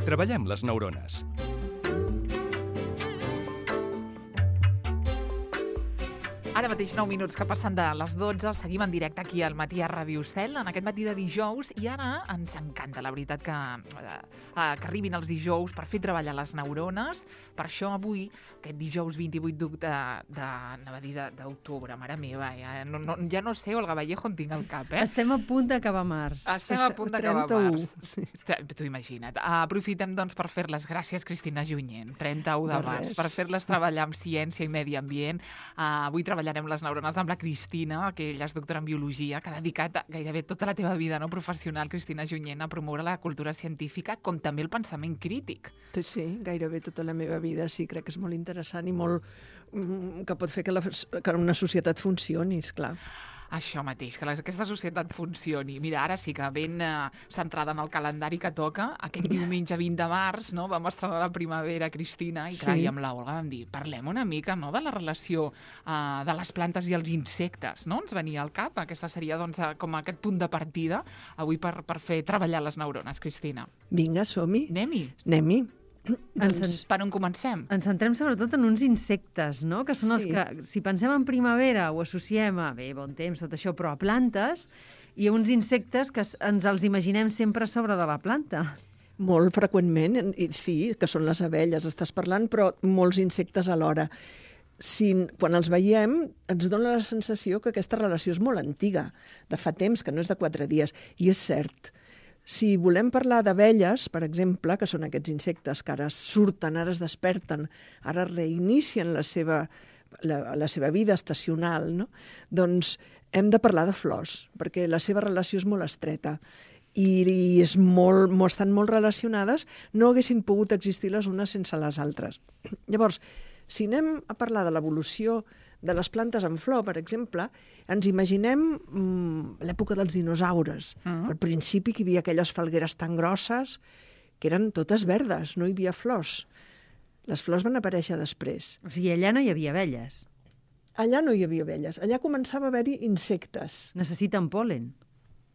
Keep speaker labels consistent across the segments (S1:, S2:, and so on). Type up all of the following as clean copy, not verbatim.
S1: Treballem les neurones.
S2: Ara mateix 9 minuts que passen de les 12, seguim en directe aquí al Matí a Ràdio Cel, en aquest matí de dijous, i ara ens encanta, la veritat, que arribin els dijous per fer treballar les neurones. Per això avui, aquest dijous 28 d'octubre, mare meva, ja no sé, Olga Vallejo, on tinc el cap,
S3: Estem a punt d'acabar març.
S2: Estem a punt d'acabar març. Sí. T'ho imagina't. Aprofitem, doncs, per fer-les. Gràcies, Cristina Junyent, 31 de març, per fer-les treballar amb ciència i medi ambient. Avui treballarem les neurones amb la Cristina, que ella és doctora en biologia, que ha dedicat gairebé tota la teva vida professional, Cristina Junyent, a promoure la cultura científica, com també el pensament crític.
S4: Sí, gairebé tota la meva vida, sí, crec que és molt interessant i molt que pot fer que una societat funcioni, esclar.
S2: Això mateix, que aquesta societat funcioni. Mira, ara sí que ben centrada en el calendari que toca, aquest diumenge 20 de març, no? Vam estrenar la primavera, Cristina, i clar, i amb l'Olga vam dir, parlem una mica, no?, de la relació de les plantes i els insectes, no? Ens venia al cap, aquesta seria, doncs, com aquest punt de partida avui per fer treballar les neurones, Cristina.
S4: Vinga, som-hi.
S2: Anem-hi. Doncs, per on comencem?
S3: Ens centrem sobretot en uns insectes, no?, que són els que, si pensem en primavera, ho associem a, bon temps, tot això, però a plantes, i a uns insectes que ens els imaginem sempre a sobre de la planta.
S4: Molt freqüentment, sí, que són les abelles, estàs parlant, però molts insectes alhora. Quan els veiem, ens dona la sensació que aquesta relació és molt antiga, de fa temps, que no és de 4 dies, i és cert. Si volem parlar d'abelles, per exemple, que són aquests insectes que ara surten, ara es desperten, ara reinicien la seva vida estacional, no? Doncs hem de parlar de flors, perquè la seva relació és molt estreta i estan molt relacionades, no haguessin pogut existir les unes sense les altres. Llavors, si anem a parlar de l'evolució de les plantes en flor, per exemple, ens imaginem l'època dels dinosaures. Al principi que hi havia aquelles falgueres tan grosses que eren totes verdes, no hi havia flors. Les flors van aparèixer després.
S3: O sigui, allà no hi havia abelles.
S4: Allà no hi havia abelles. Allà començava a haver-hi insectes.
S3: Necessiten pol·len.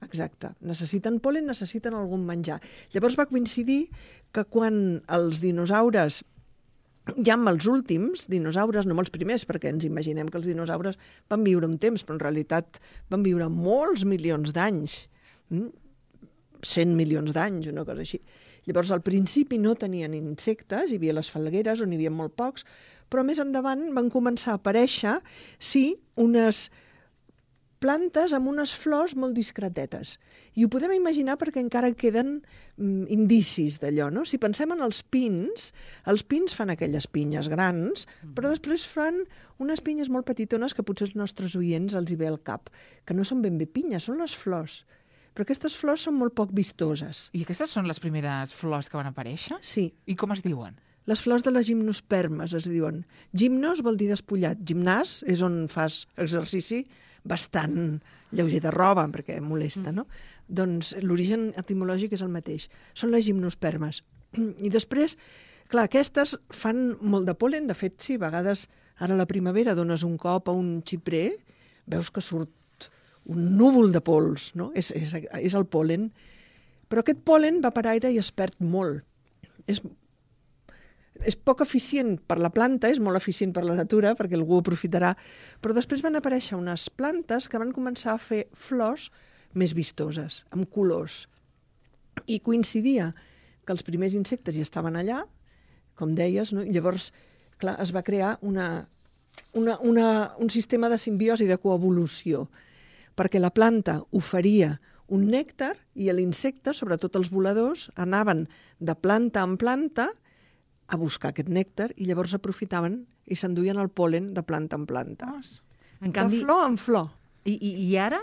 S4: Exacte. Necessiten pol·len, necessiten algun menjar. Llavors va coincidir que quan els dinosaures, ja amb els últims dinosaures, no amb els primers, perquè ens imaginem que els dinosaures van viure un temps, però en realitat van viure molts milions d'anys, 100 milions d'anys, una cosa així. Llavors, al principi no tenien insectes, hi havia les falgueres, on hi havia molt pocs, però més endavant van començar a aparèixer, sí, unes plantes amb unes flors molt discretetes. I ho podem imaginar perquè encara queden indicis d'allò, no? Si pensem en els pins fan aquelles pinyes grans, però després fan unes pinyes molt petitones que potser els nostres oients els hi ve al cap, que no són ben bé pinyes, són les flors. Però aquestes flors són molt poc vistoses.
S2: I aquestes són les primeres flors que van aparèixer?
S4: Sí.
S2: I com es diuen?
S4: Les flors de les gimnospermes es diuen. Gimnos vol dir despullat. Gimnàs és on fas exercici bastant lleuger de roba, perquè molesta, no? Doncs l'origen etimològic és el mateix. Són les gimnospermes. I després, clar, aquestes fan molt de pol·len. De fet, sí, a vegades ara a la primavera dones un cop a un xiprer, veus que surt un núvol de pols, no? És el pol·len. Però aquest pol·len va per aire i es perd molt. És poc eficient per la planta, és molt eficient per la natura, perquè algú ho aprofitarà, però després van aparèixer unes plantes que van començar a fer flors més vistoses, amb colors. I coincidia que els primers insectes hi estaven allà, com deies, no? I llavors, clar, es va crear un sistema de simbiosi, de coevolució, perquè la planta oferia un nèctar i l'insecte, sobretot els voladors, anaven de planta en planta a buscar aquest nèctar i llavors aprofitaven i s'enduien el pol·len de planta en planta.
S3: En canvi,
S4: de flor en flor.
S3: I ara,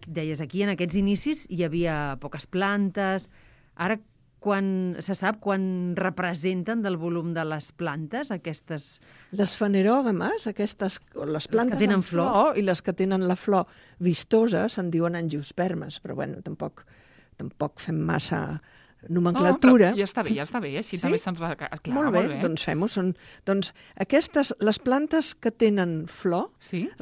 S3: deies, aquí en aquests inicis hi havia poques plantes. Ara, se sap quan representen del volum de les plantes aquestes...
S4: Les fanerògames, les plantes
S3: que tenen
S4: en flor i les que tenen la flor vistosa se'n diuen angiospermes, però bueno, tampoc fem massa nomenclatura.
S2: No, ja està bé, així també se'ns va... Clar,
S4: molt bé, doncs fem-ho. Doncs aquestes, les plantes que tenen flor,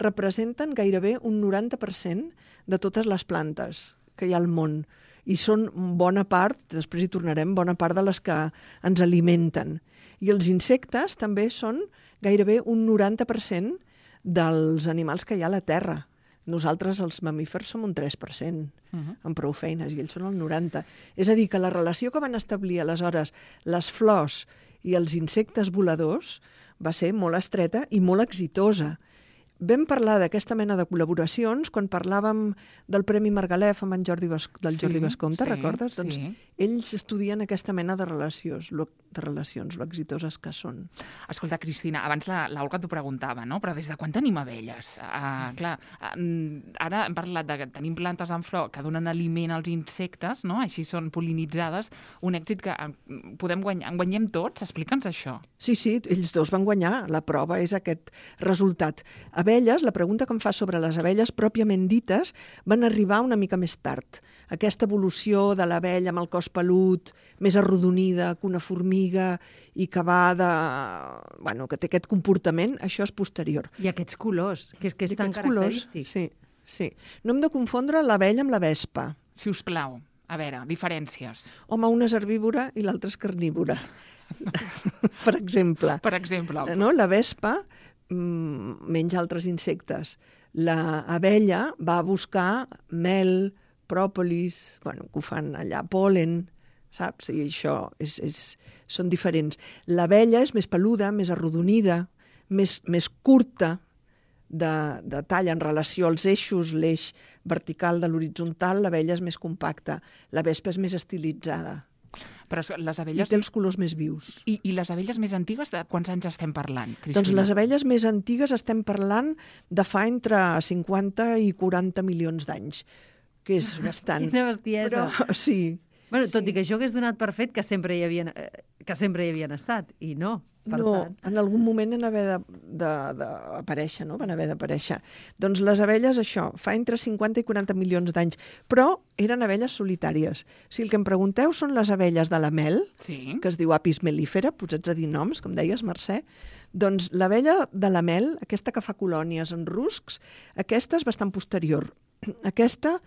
S4: representen gairebé un 90% de totes les plantes que hi ha al món. i són bona part, després hi tornarem, bona part de les que ens alimenten. I els insectes també són gairebé un 90% dels animals que hi ha a la Terra. Nosaltres, els mamífers, som un 3%, amb prou feines, i ells són el 90%. És a dir, que la relació que van establir aleshores les flors i els insectes voladors va ser molt estreta i molt exitosa. Vam parlar d'aquesta mena de col·laboracions quan parlàvem del Premi Margalef amb en Jordi Bascomte, recordes? Doncs ells estudien aquesta mena de relacions, lo exitoses que són.
S2: Escolta, Cristina, abans l'Olga t'ho preguntava, no? Però des de quan tenim abelles? Clar, ara hem parlat que tenim plantes en flor que donen aliment als insectes, no? Així són pol·linitzades, un èxit que podem guanyar. En guanyem tots? Explica'ns això.
S4: Sí, ells dos van guanyar. La prova és aquest resultat. Abelles, la pregunta que em fa sobre les abelles pròpiament dites, van arribar una mica més tard. Aquesta evolució de l'abella amb el cos pelut, més arrodonida que una formiga i que va que té aquest comportament, això és posterior.
S3: I aquests colors, que és tan característic.
S4: Sí. No hem de confondre l'abella amb la vespa.
S2: Si us plau, a veure, diferències.
S4: Home, una és herbívora i l'altra és carnívora. Per exemple. No? La vespa menja altres insectes. L'abella va a buscar mel, pròpolis, que ho fan allà, pol·len, saps? I això són diferents. L'abella és més peluda, més arrodonida, més curta de tall en relació als eixos, l'eix vertical de l'horitzontal, l'abella és més compacta. La vespa és més estilitzada.
S2: Però les abelles...
S4: I té els colors més vius.
S2: I les abelles més antigues, de quants anys estem parlant, Cristina?
S4: Doncs les abelles més antigues estem parlant de fa entre 50 i 40 milions d'anys, que és bastant.
S3: Quina bestiesa.
S4: Però sí.
S3: Bueno, tot i que jo hagués donat per fet que sempre hi havien estat, i no.
S4: No, en algun moment van haver d'aparèixer, no? Van haver d'aparèixer. Doncs les abelles, això, fa entre 50 i 40 milions d'anys, però eren abelles solitàries. Si el que em pregunteu són les abelles de la mel, que es diu Apis mellifera, posats a dir noms, com deies, Mercè, doncs l'abella de la mel, aquesta que fa colònies en ruscs, aquesta és bastant posterior. Aquesta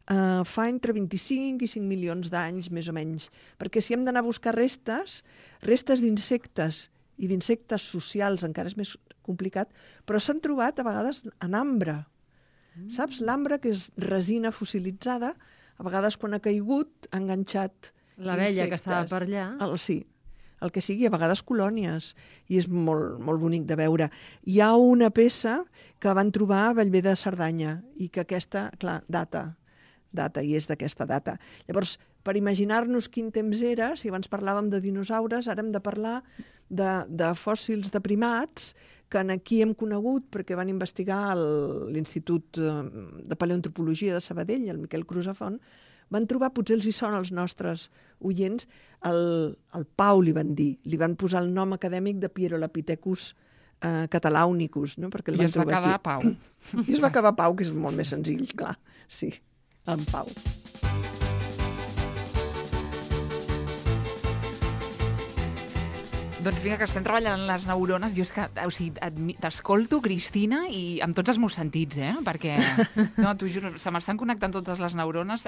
S4: fa entre 25 i 5 milions d'anys, més o menys, perquè si hem d'anar a buscar restes d'insectes i d'insectes socials encara és més complicat, però s'han trobat a vegades en ambre. Saps? L'ambre, que és resina fossilitzada, a vegades quan ha caigut ha enganxat
S3: l'abella que estava per allà.
S4: Sí, el que sigui, a vegades colònies, i és molt, molt bonic de veure. Hi ha una peça que van trobar a Bellver de Cerdanya i que aquesta, clar, data, i és d'aquesta data. Llavors, per imaginar-nos quin temps era, si abans parlàvem de dinosaures, ara hem de parlar de fòssils de primats que aquí hem conegut perquè van investigar a l'Institut de Paleoantropologia de Sabadell, el Miquel Crusafont, van trobar, potser els hi sona als nostres oients, el Pau li van dir, li van posar el nom acadèmic de Pierolapithecus catalaunicus, no? Perquè
S2: I es va quedar Pau.
S4: I es va acabar Pau, que és molt més senzill, clar, sí. En Pau.
S2: Doncs vinga, que estem treballant en les neurones. Jo és que, t'escolto, Cristina, i amb tots els meus sentits, perquè, no, t'ho juro, se m'estan connectant totes les neurones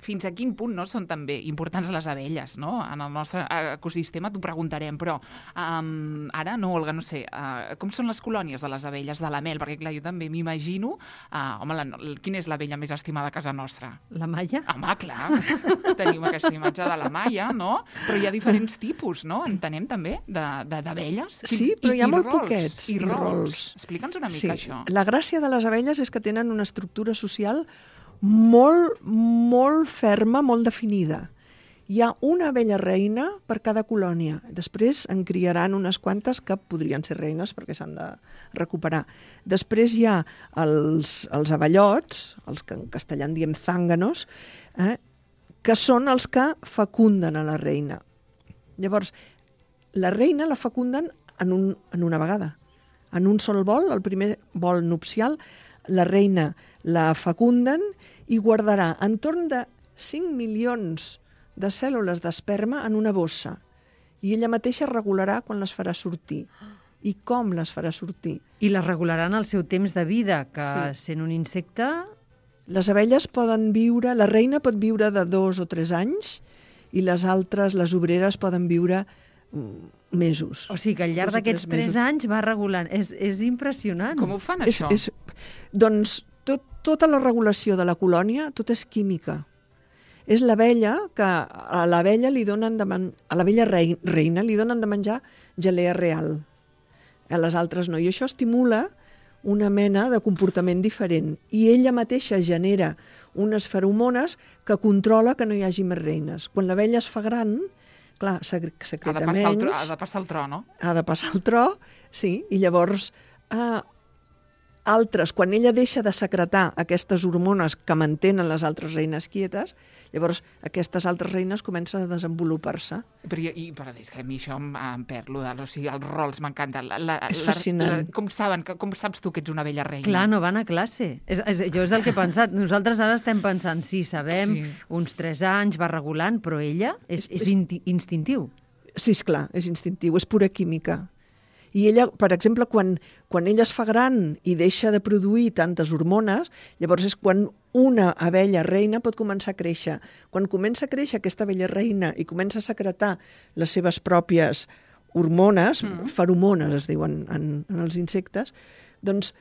S2: fins a quin punt no són també importants les abelles, no? En el nostre ecosistema t'ho preguntarem, però ara no, Olga, no sé, com són les colònies de les abelles de la mel? Perquè, clar, jo també m'imagino, quina és l'abella més estimada a casa nostra?
S3: La malla?
S2: Home, clar, tenim aquesta imatge de la malla, no? Però hi ha diferents tipus, no? Entenem també, d'abelles.
S4: Sí, però hi ha molt poquets.
S2: I rols. Explica'ns una mica això.
S4: La gràcia de les abelles és que tenen una estructura social molt, molt ferma, molt definida. Hi ha una abella reina per cada colònia. Després en criaran unes quantes que podrien ser reines perquè s'han de recuperar. Després hi ha els abellots, els que en castellà en diem zànganos, que són els que fecunden a la reina. Llavors, la reina la fecunden en una vegada. En un sol vol, el primer vol nupcial, la reina la fecunden i guardarà entorn de 5 milions de cèl·lules d'esperma en una bossa. I ella mateixa regularà quan les farà sortir. I com les farà sortir.
S3: I les regularà en el seu temps de vida, que sent un insecte
S4: Les abelles poden viure, la reina pot viure de 2 o 3 anys i les altres, les obreres, poden viure mesos.
S3: O sigui que al llarg
S4: 2 o 3
S3: d'aquests 3
S4: mesos.
S3: anys va regulant. És impressionant.
S2: Com ho fan, això?
S4: Doncs tota la regulació de la colònia, tot és química. És l'abella que a l'abella li donen a l'abella reina li donen de menjar gelea real. A les altres no. I això estimula una mena de comportament diferent. I ella mateixa genera unes feromones que controla que no hi hagi més reines. Quan l'abella es fa gran, clar, secreta menys.
S2: Ha de passar el tro, no?
S4: Ha de passar el tro, sí, i llavors altres, quan ella deixa de secretar aquestes hormones que mantenen les altres reines quietes, llavors aquestes altres reines comencen a desenvolupar-se.
S2: Però és que a mi això em perd, o sigui, els rols m'encanten.
S4: És fascinant.
S2: Com saps tu que ets una vella reina?
S3: Clar, no van a classe. Jo és el que he pensat. Nosaltres ara estem pensant, sí, sabem, uns 3 anys, va regulant, però ella és instintiu.
S4: Sí, esclar, és instintiu, és pura química. I ella, per exemple, quan ella es fa gran i deixa de produir tantes hormones, llavors és quan una abella reina pot començar a créixer. Quan comença a créixer aquesta abella reina i comença a secretar les seves pròpies hormones, feromones es diuen en els insectes, doncs,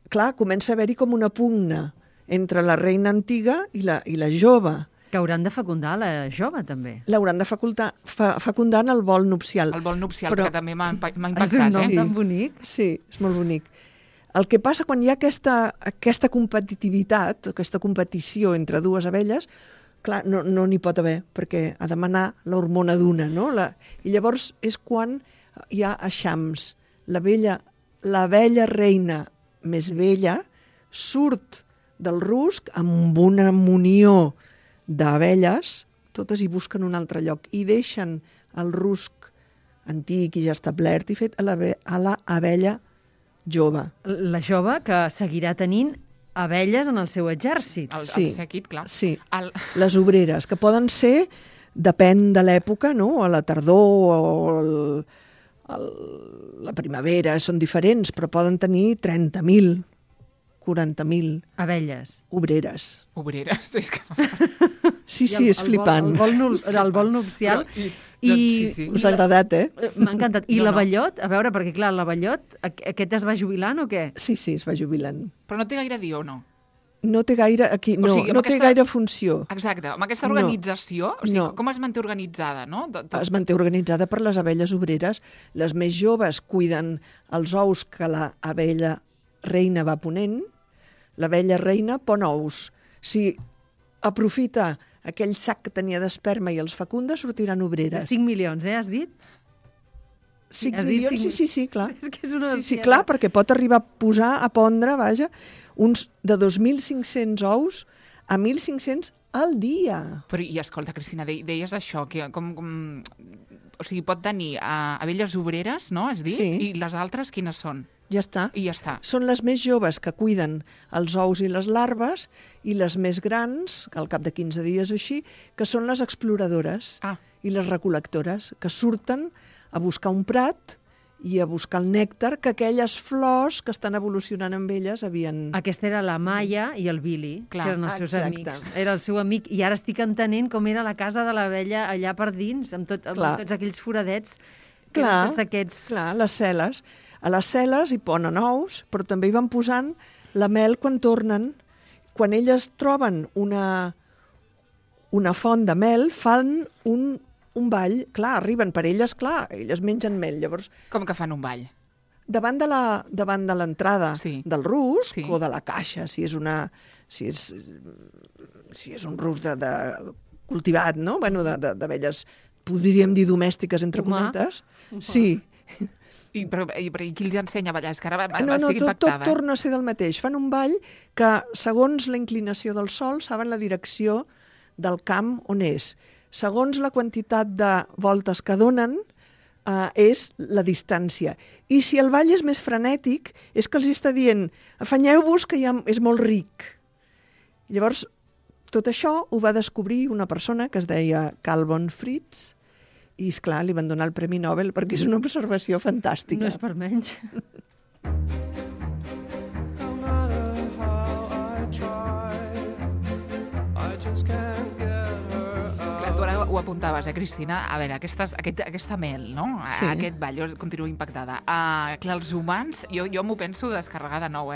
S4: clar, comença a haver-hi com una pugna entre la reina antiga i la jove.
S3: Que hauran de fecundar la jove, també.
S4: L'hauran de fecundar en el vol nupcial.
S2: El vol nupcial, que també m'ha impactat.
S3: És un nom tan bonic.
S4: Sí, és molt bonic. El que passa quan hi ha aquesta competitivitat, aquesta competició entre dues abelles, clar, no n'hi pot haver, perquè ha de manar l'hormona d'una, no? I llavors és quan hi ha eixams. L'abella reina més vella surt del rusc amb una munió d'abelles, totes hi busquen un altre lloc i deixen el rusc antic i ja establert i fet a l'abella jove.
S3: La jove que seguirà tenint abelles en el seu exèrcit.
S2: El sèquit, clar.
S4: Sí, les obreres, que poden ser, depèn de l'època, no? A la tardor o la primavera, són diferents, però poden tenir 30.000, 40.000
S3: abelles.
S4: Obreres.
S2: Obreres, és que...
S4: Sí, és flipant.
S3: El vol nupcial.
S2: Sí.
S4: Us ha agradat,
S3: M'ha encantat. I l'abellot? A veure, perquè clar, l'abellot, aquest es va jubilant o què?
S4: Sí, es va jubilant.
S2: Però no té gaire dir o no?
S4: No té gaire, té gaire funció.
S2: Exacte, amb aquesta organització, com es manté organitzada, no?
S4: Es manté organitzada per les abelles obreres. Les més joves cuiden els ous que l'abella reina va ponent. L'abella reina pon ous. Si aprofita aquell sac que tenia d'esperma i els fecunda, sortiran obreres.
S3: 5 milions, has dit?
S4: 5 milions, sí, clar.
S3: És que és una
S4: sí, clar, perquè pot arribar a posar, a pondre, uns de 2.500 ous a 1.500 al dia.
S2: Però, i escolta, Cristina, deies això, que o sigui, pot tenir abelles obreres, no, has dit?
S4: Sí.
S2: I les altres quines són?
S4: Ja està.
S2: I ja està.
S4: Són les més joves que cuiden els ous i les larves i les més grans, al cap de 15 dies o així, que són les exploradores i les recol·lectores, que surten a buscar un prat i a buscar el nèctar que aquelles flors que estan evolucionant amb elles havien...
S3: Aquesta era la Maia i el Billy, que eren els seus amics. Era el seu amic, i ara estic entenent com era la casa de l'abella allà per dins, amb tots aquells foradets.
S4: Clar, les cel·les. A les cel·les hi ponen ous, però també hi van posant la mel quan tornen. Quan elles troben una font de mel, fan un ball. Clar, arriben per elles, elles mengen mel. Llavors,
S2: com que fan un ball?
S4: Davant de l'entrada del rusc o de la caixa, si és un rusc de cultivat, no? Bueno, d'abelles, podríem dir domèstiques, entre cometes. Sí.
S2: Però qui els ensenya a ballar? És que ara
S4: estic impactada. Tot torna a ser del mateix. Fan un ball que, segons la inclinació del sol, saben la direcció del camp on és. Segons la quantitat de voltes que donen, és la distància. I si el ball és més frenètic, és que els està dient afanyeu-vos que ja és molt ric. Llavors, tot això ho va descobrir una persona que es deia Carl von Fritz, i, esclar, li van donar el Premi Nobel perquè és una observació fantàstica.
S3: No és per menys.
S1: No matter how I try,
S2: apuntaves, Cristina, a veure, aquesta mel, no?
S4: Sí.
S2: Aquest ball, jo continuo impactada. Clar, els humans, jo m'ho penso descarregar de nou,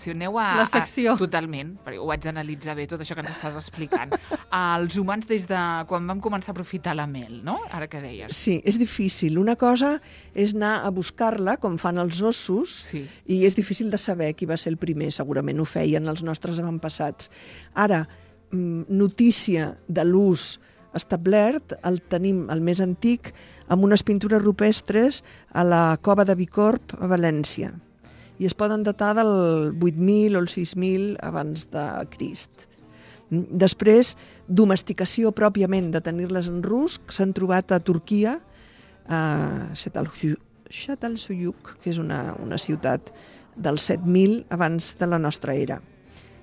S2: si aneu
S3: La secció.
S2: Totalment, perquè ho vaig analitzar bé, tot això que ens estàs explicant. Els humans des de quan vam començar a aprofitar la mel, no? Ara que deies.
S4: Sí, és difícil. Una cosa és anar a buscar-la, com fan els ossos,
S2: Sí.
S4: i és difícil de saber qui va ser el primer. Segurament ho feien els nostres avantpassats. Ara, notícia de l'ús establert el tenim, el més antic, amb unes pintures rupestres a la cova de Bicorb a València. I es poden datar del 8.000 o el 6.000 abans de Crist. Després, domesticació pròpiament de tenir-les en rus, s'han trobat a Turquia, a Çatalhöyük, que és una ciutat del 7.000 abans de la nostra era.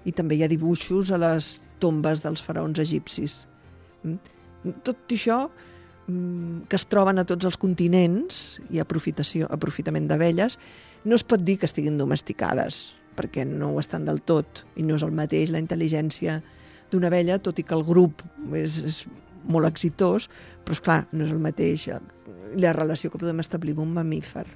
S4: I també hi ha dibuixos a les tombes dels faraons egipcis. Tot això que es troben a tots els continents i aprofitament d'abelles, no es pot dir que estiguin domesticades, perquè no ho estan del tot, i no és el mateix la intel·ligència d'una abella, tot i que el grup és molt exitós, però esclar, no és el mateix la relació que podem establir amb un mamífer.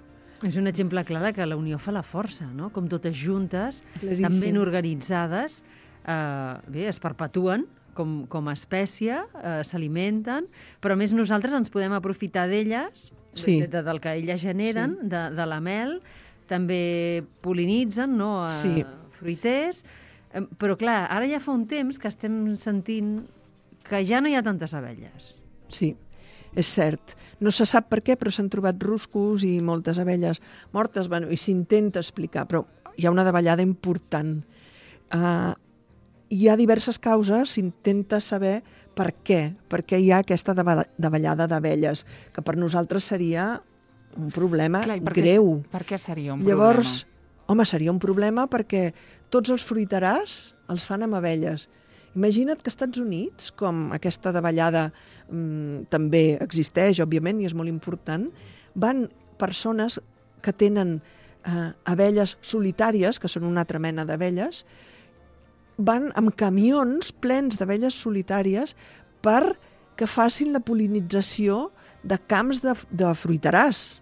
S3: És un exemple clar de que la unió fa la força, no? Com totes juntes,
S4: Claríssim.
S3: tan ben organitzades, es perpetuen com a espècie, s'alimenten, però a més nosaltres ens podem aprofitar d'elles,
S4: Sí.
S3: del que elles generen, de la mel, també pol·linitzen, no?
S4: Sí.
S3: Fruiters, però clar, ara ja fa un temps que estem sentint que ja no hi ha tantes abelles.
S4: Sí, és cert. No se sap per què, però s'han trobat ruscos i moltes abelles mortes, bueno, i s'intenta explicar, però hi ha una davallada important. Hi ha diverses causes, s'intenta saber per què hi ha aquesta davallada d'abelles, que per nosaltres seria un problema greu.
S2: Per què seria un
S4: Llavors,
S2: problema?
S4: home, seria un problema perquè tots els fruiterars els fan amb abelles. Imagina't que als Estats Units, com aquesta davallada també existeix, òbviament, i és molt important, van persones que tenen abelles solitàries, que són una altra mena d'abelles, van amb camions plens d'abelles solitàries perquè facin la pol·linització de camps de fruiterars.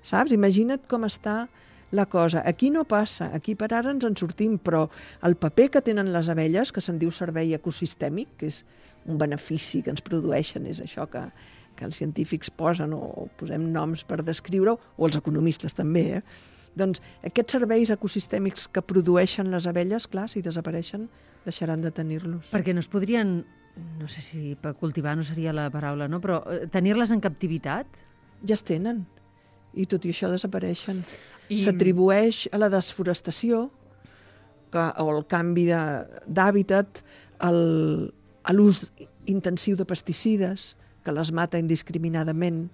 S4: Saps? Imagina't com està la cosa. Aquí no passa, aquí per ara ens en sortim, però el paper que tenen les abelles, que se'n diu servei ecosistèmic, que és un benefici que ens produeixen, és això que els científics posen o posem noms per descriure-ho, o els economistes també, Doncs aquests serveis ecosistèmics que produeixen les abelles, clar, si desapareixen, deixaran de tenir-los.
S3: Perquè no es podrien, no sé si per cultivar no seria la paraula, no? Però tenir-les en captivitat?
S4: Ja es tenen, i tot i això desapareixen. S'atribueix a la desforestació o al canvi d'hàbitat, a l'ús intensiu de pesticides, que les mata indiscriminadament.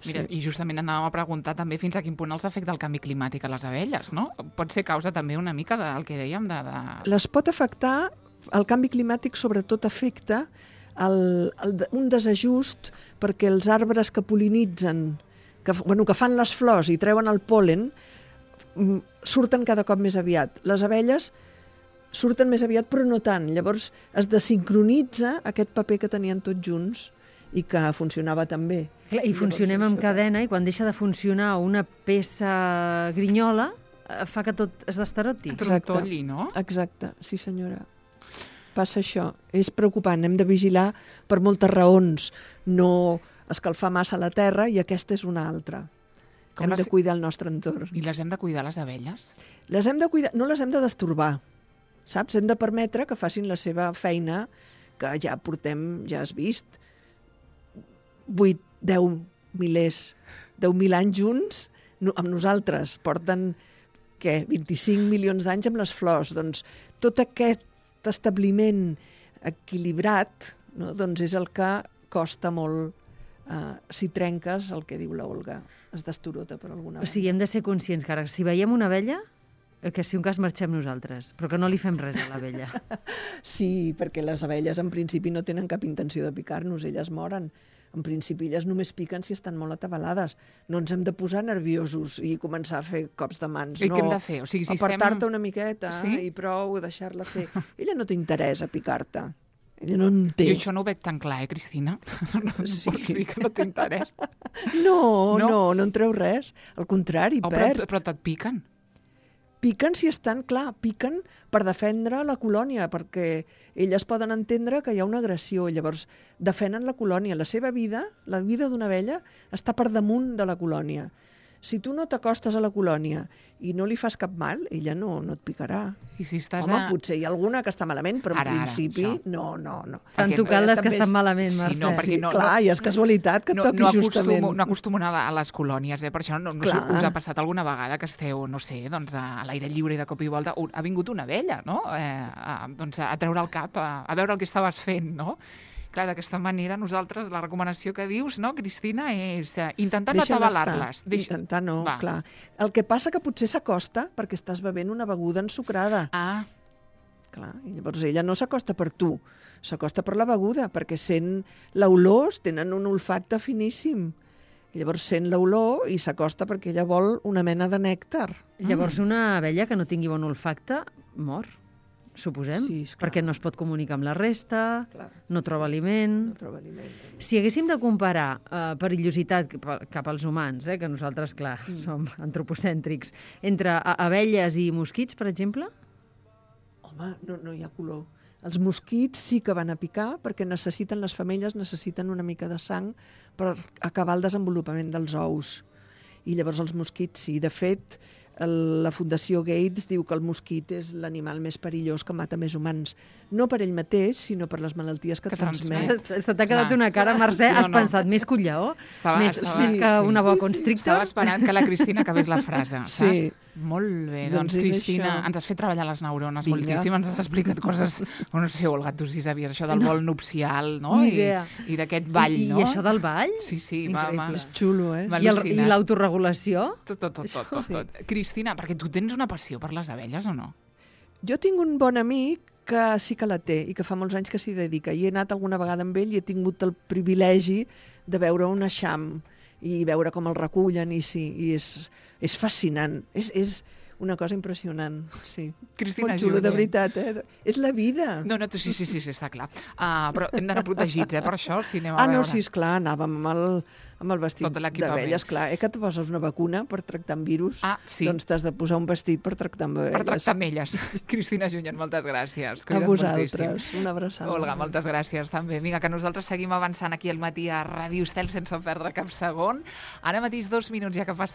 S2: Mira, i justament anàvem a preguntar també fins a quin punt els afecta el canvi climàtic a les abelles, no? Pot ser causa també una mica del que dèiem
S4: Les pot afectar, el canvi climàtic sobretot afecta un desajust perquè els arbres que pol·linitzen, que fan les flors i treuen el pol·len, surten cada cop més aviat. Les abelles surten més aviat, però no tant. Llavors es desincronitza aquest paper que tenien tots junts i que funcionava tan bé.
S3: Clar, i funcionem en cadena, i quan deixa de funcionar una peça grinyola, fa que tot es destaroti.
S2: Trontolli, no?
S4: Exacte, sí senyora. Passa això. És preocupant, hem de vigilar per moltes raons. No escalfar massa la terra, i aquesta és una altra. Hem de cuidar el nostre entorn.
S2: I les hem de cuidar, les abelles?
S4: Les hem de cuidar, no les hem de destorbar, saps? Hem de permetre que facin la seva feina, que ja portem, ja has vist, 10.000 anys junts amb nosaltres. Porten, 25 milions d'anys amb les flors. Doncs tot aquest establiment equilibrat, no? Doncs és el que costa molt. Si trenques, el que diu la Olga, es destorota per alguna banda.
S3: O sigui, hem de ser conscients que ara, si veiem una abella, que si un cas marxem nosaltres, però que no li fem res a l'abella.
S4: Sí, perquè les abelles en principi no tenen cap intenció de picar-nos, elles moren. En principi elles només piquen si estan molt atabalades. No ens hem de posar nerviosos i començar a fer cops de mans.
S2: I què hem de fer? O sigui, si
S4: apartar-te una miqueta
S2: sí?
S4: i prou, deixar-la fer. Ella no té interès a picar-te. Ella no en té.
S2: Jo això no ho veig tan clar, Cristina? No
S4: Sí.
S2: pots dir que no té interès.
S4: No en treu res. Al contrari, perd.
S2: Però te't piquen.
S4: Piquen si estan, clar, piquen per defendre la colònia, perquè elles poden entendre que hi ha una agressió, i llavors defenen la colònia. La seva vida, la vida d'una abella, està per damunt de la colònia. Si tu no t'acostes a la colònia i no li fas cap mal, ella no et picarà.
S2: I si estàs
S4: Home, potser hi ha alguna que està malament, però en principi
S2: això.
S4: no.
S3: T'han
S2: Perquè
S3: tocat les que
S4: també
S3: estan
S4: és-
S3: malament,
S2: Sí,
S3: Mercè.
S2: no, perquè
S4: Sí, clar, i és casualitat que et toqui justament.
S2: No acostumo a anar a les colònies, per això no sé,
S4: Clar.
S2: us ha passat alguna vegada que esteu, no sé, doncs a l'aire lliure i de cop i volta ha vingut una abella, no? Doncs a treure el cap, a veure el que estaves fent, no? Clar, d'aquesta manera nosaltres, la recomanació que dius, no, Cristina, és intentar no
S4: Deixa-la
S2: atabalar-les.
S4: estar. Intentar no,
S2: Va.
S4: clar. El que passa que potser s'acosta perquè estàs bevent una beguda ensucrada.
S2: Ah,
S4: Clar, i llavors ella no s'acosta per tu, s'acosta per la beguda, perquè sent l'olor, tenen un olfacte finíssim. I llavors sent l'olor i s'acosta perquè ella vol una mena de nèctar.
S3: Llavors una abella que no tingui bon olfacte mor, suposem,
S4: Sí, esclar.
S3: perquè no es pot comunicar amb la resta,
S4: Clar.
S3: no troba aliment.
S4: No troba aliment.
S3: Si haguéssim de comparar perillositat cap als humans, que nosaltres, clar, som antropocèntrics, entre abelles i mosquits, per exemple?
S4: Home, no hi ha color. Els mosquits sí que van a picar perquè necessiten, les femelles necessiten una mica de sang per acabar el desenvolupament dels ous. I llavors els mosquits sí. De fet, la Fundació Gates diu que el mosquit és l'animal més perillós que mata més humans. No per ell mateix, sinó per les malalties que transmet.
S3: Se t'ha quedat una cara, Mercè,
S2: Sí o
S3: has
S2: no?
S3: pensat més que un lleó? Més que una boa constrictor?
S2: Estava esperant que la Cristina acabés la frase, saps?
S4: Sí.
S2: Molt bé,
S4: Doncs
S2: doncs
S4: és
S2: Cristina,
S4: això.
S2: ens has fet treballar les neurones
S4: Vinga.
S2: moltíssim, ens has explicat coses, no sé, Olga, tu sí sabies això del vol nupcial, no?
S3: Ni idea.
S2: I d'aquest ball, no?
S3: I això del ball?
S2: Sí, sí,
S3: Increïble.
S4: És xulo, eh?
S2: M'ha
S3: I
S2: al·lucinat.
S3: l'autoregulació?
S2: Tot. Cristina, perquè tu tens una passió per les abelles o no?
S4: Jo tinc un bon amic que sí que la té i que fa molts anys que s'hi dedica. I he anat alguna vegada amb ell i he tingut el privilegi de veure un eixam i veure com el recullen i sí, i és fascinant. És una cosa impressionant, sí.
S2: Cristina
S4: Molt xulo, de
S2: Junyent.
S4: veritat, eh? És la vida.
S2: No, sí, està clar. Però hem d'anar protegits, per això, si anem a veure.
S4: No, sí, esclar, anàvem amb el vestit
S2: Tot l'equipament.
S4: d'abelles, clar. Que et poses una vacuna per tractar amb virus,
S2: Sí.
S4: doncs t'has de posar un vestit per tractar amb abelles.
S2: Per tractar amb elles. Cristina Junyent, moltes gràcies.
S4: A
S2: Cuida't
S4: vosaltres,
S2: moltíssim.
S4: una abraçada.
S2: Olga, moltes gràcies també. Vinga, que nosaltres seguim avançant aquí al matí a Ràdio Estel sense perdre cap segon. Ara mateix 2 minuts ja que passa